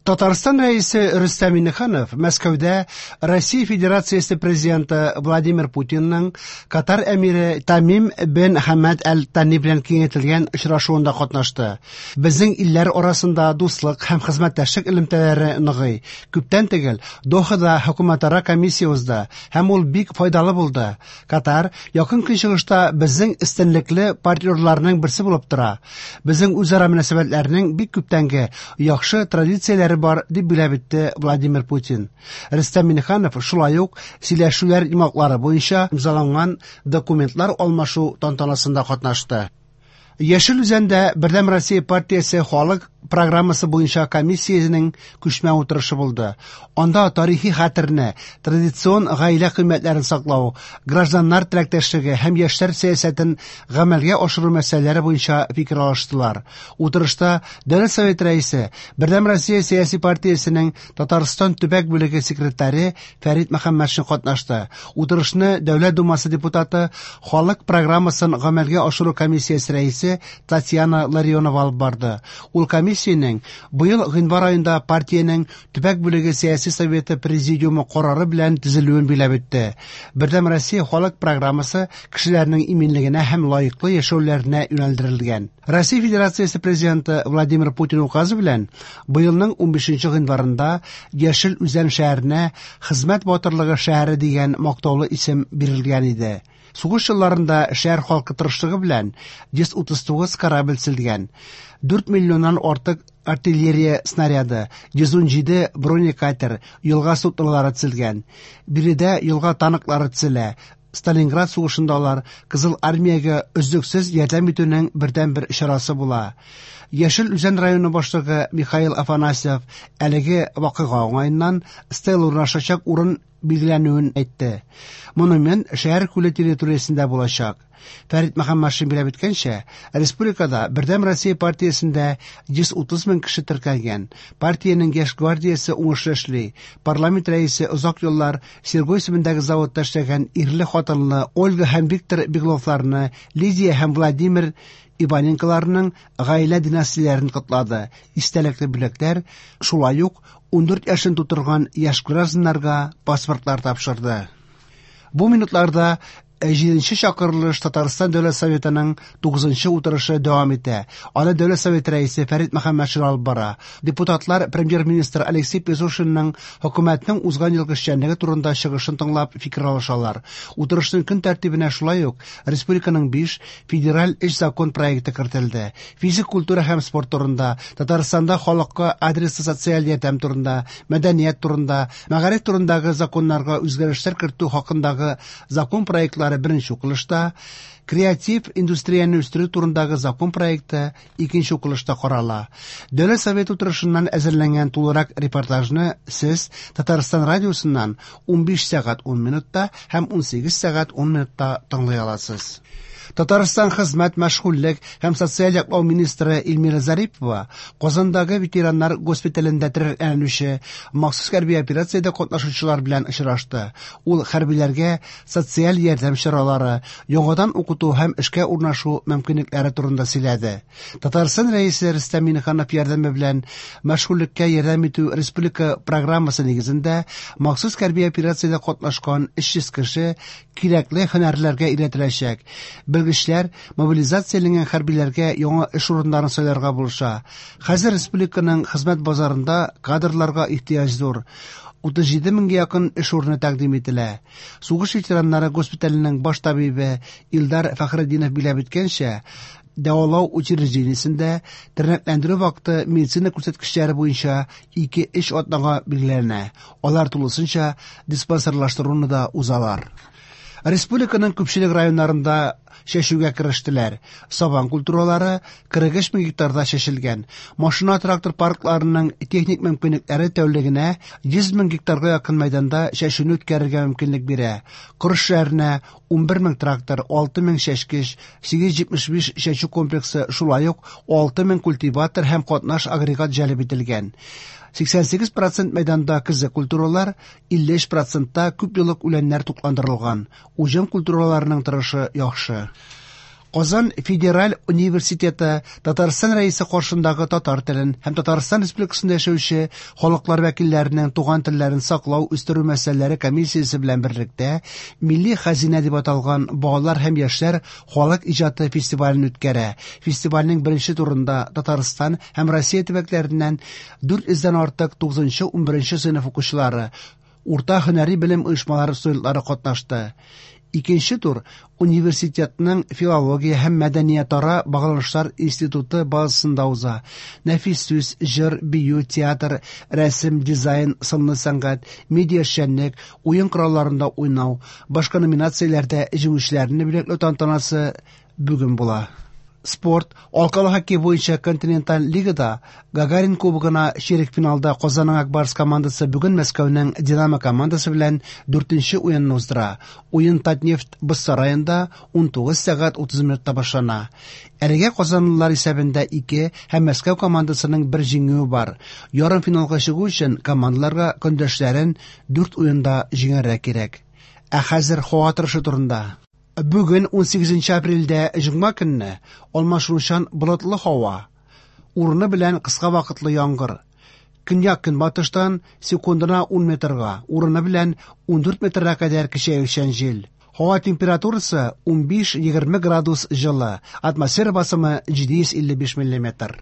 Татарстан Рәисе Рөстәм Миңнеханов Мәскәүдә Россия Федерациясе Президенты Владимир Путинның Катар әмире Тамим бен Хамад Әл-Тани белән киңәйтелгән очрашуында катнашты. Безнең илләр арасында дуслык һәм хезмәттәшлек элемтәләре ныгый. Күптән түгел Дохада хөкүмәтара комиссия узды һәм ул бик файдалы булды. Катар Якын Көнчыгышта безнең өстенлекле партнерларның берсе булып тора. Безнең үзара мөнәсәбәтләрнең бик күптәнге яхшы традицияләре бар, дип билгеләп үтте Владимир Путин. Рөстәм Миңнеханов шулай ук сөйләшүләр йомгаклары буенча имзаланган документлар алмашу тантанасында катнашты. Яшел Үзәндә Бердәм Россия партиясе халык программасы буенча комиссиянең күчмә утырышы булды. Анда тарихи хәтерне, традицион гаилә кыйммәтләрен саклау, гражданнар теләктәшлеге һәм яшьләр сәясәтен гамәлгә ашыру мәсьәләләре буенча фикер алыштылар. Утырышта Дәүләт Советы Рәисе, Бердәм Россия сәяси партиясенең Татарстан төбәк бүлеге секретаре Фәрит Мөхәммәтшин катнашты. Утырышны Дәүләт Думасы депутаты, халык программасын гамәлгә ашыру комиссиясе рәисе Татьяна Ларионова алып барды. Ул комиссиянең быел гыйнвар аенда партиянең төбәк бүлеге сәяси советы президиумы карары белән төзелүен билгеләп үтте. Бердәм Россия халык программасы кешеләрнең иминлегенә һәм лаеклы яшәүләренә юнәлдерелгән. Россия Федерациясе Президенты Владимир Путин указы белән быелның 15 гыйнварында Яшел Үзән шәһәренә Хезмәт батырлыгы шәһәре дигән мактаулы исем бирелгән иде. Сугыш елларында шәһәр халкы тырышлыгы белән 139 корабль төзелгән, 4 миллионнан артык артиллерия снаряды, 117 бронекатер, елга суднолары төзелгән. Биредә елга танклары төзелә. Сталинград сугышында алар Кызыл армиягә өзлексез ярдәм итүнең бердәнбер чарасы була. Яшел Үзән районы башлыгы Михаил Афанасьев әлеге вакыйга уңаеннан стела урнашачак урын билгеләнүен әйтте. Монумент шәһәр күле территориясендә булачак. Фәрит Мөхәммәтшин билгеләп үткәнчә, республикада Бердәм Россия партиясендә 130 мең кеше теркәлгән. Партиянең яшь гвардиясе уңышлы эшли. Парламент рәисе озак еллар Серго исемендәге заводта эшләгән ирле-хатынлы Ольга һәм Виктор Бегловларны, Лидия һәм Владимир Иваненколарның гаилә династияләрен котлады. Истәлекле бүләкләр, шулай ук 14 яшен тутырган яшь гражданнарга паспортлар тапшырды. Бу минутларда җиденче чакырылыш Татарстан Дәүләт Советының тугызынчы утырышы дәвам итә. Аны Дәүләт Советы рәисе Фәрит Мөхәммәтшин алып бара. Депутатлар премьер-министр Алексей Песошинның хөкүмәтнең узган елгы эшчәнлеге турында чыгышын тыңлап фикер алышалар. Утырышның көн тәртибенә шулай ук республиканың 5 федераль өч закон проекты кертелде. Физик культура һәм спорт турында, Татарстанда халыкка адреслы социаль ярдәм турында, мәдәният турында, мәгариф турындагы законнарга үзгәрешләр кертү хакындагы закон проектлары беренче укылышта, креатив индустрияне үстерү турындагы закон проекты икенче укылышта карала. Дәүләт Советы утырышыннан әзерләнгән тулырак репортажны сез Татарстан радиосыннан 15 сәгать 10 минутта һәм 18 сәгать 10 минутта тыңлый аласыз. Татарстан хезмәт, мәшгульлек һәм социаль яклау министры Эльмира Зарипова Казандагы ветераннар госпиталендә тернәкләнүче махсус хәрби операциядә катнашучылар белән очрашты. Ул хәрбиләргә социаль ярдәм чаралары, яңадан укыту һәм эшкә урнашу мөмкинлекләре турында сөйләде. Татарстан Рәисе Рөстәм Миңнеханов ярдәме белән мәшгульлеккә ярдәм итү республика программасы нигезендә махсус хәрби операциядә катнашкан 300 кеше кирәкле һөнәрләргә өйрәтеләчәк. Белгечләр мобилизацияләнгән хәрбиләргә яңа эш урыннарын сайларга булыша. Хәзер республиканың хезмәт базарында кадрларга ихтыяҗ зур. 37 меңгә якын эш урыны тәкъдим ителә. Сугыш ветераннары госпиталенең баш табибы Илдар Фәхретдинов билгеләп үткәнчә, дәвалау учреждениесендә тернәкләндерү вакыты медицина күрсәткечләре буенча 2-3 атнага билгеләнә. Алар тулысынча диспансерлаштыруны да узалар. Республиканың күпчелек районнарында чәчүгә керештеләр. Сабан культуралары 43 мең гектарда чәчелгән. Машина-трактор паркларының техник мөмкинлекләре тәүлегенә 100 мең гектарга якын мәйданда чәчүне үткәрергә мөмкинлек бирә. Кыр эшләренә 11 мең трактор, 6 мең чәчкеч, 875 чәчү комплексы, шулай ук 6 мең культиватор һәм катнаш агрегат җәлеп ителгән. 88% мәйданда көзге культуралар, 53% күп еллык үләннәр тукландырылган. Уҗым культураларының торышы яхшы. Казан федераль университеты Татарстан Рәисе каршындагы татар телен һәм Татарстан Республикасында яшәүче халыклар вәкилләренең туган телләрен саклау, үстерү мәсьәләләре комиссиясе белән берлектә Милли хәзинә дип аталган балалар һәм яшьләр халык иҗаты фестивален үткәрә. Фестивальнең беренче турында Татарстан һәм Россия төбәкләреннән 400 дән артык 9-11 сыйныф укучылары, урта һөнәри белем оешмалары студентлары катнашты. Икенче тур университетның филология һәм мәдәниятара багланышлар институты базасында уза. Нәфис сүз, җыр, бию, театр, рәсем, дизайн, сынлы сәнгать, медиа эшчәнлек, уен коралларында уйнау, башка номинацияләрдә җиңүчеләрне бүләкләү тантанасы бүген була. Спорт, алкалы хоккей буенча континенталь лигада Гагарин кубогына чирек финалда Казанның Ак Барс командасы бүген Мәскәүнең Динамо командасы белән дүртенче уенны уздыра. Уен Татнефть боз сараенда 19 сәгать 30 минутта башлана. Әлегә казанлылар исәбендә 2 һәм Мәскәү командасының бер җиңүе бар. Ярымфиналга чыгу өчен командаларга көндәшләрен 4 уенда җиңәргә кирәк. Ә хәзер һава торышы турында. Бүген 18 апрельдә җомга көнне алмашынучан болытлы һава. Урыны белән кыска вакытлы яңгыр. Көньяк көнбатыштан секундына 10 метрга, урыны белән 14 метрга кадәр көчәючән җил. Һава температурасы 15-20 градус җылы, атмосфера басымы 755 миллиметр.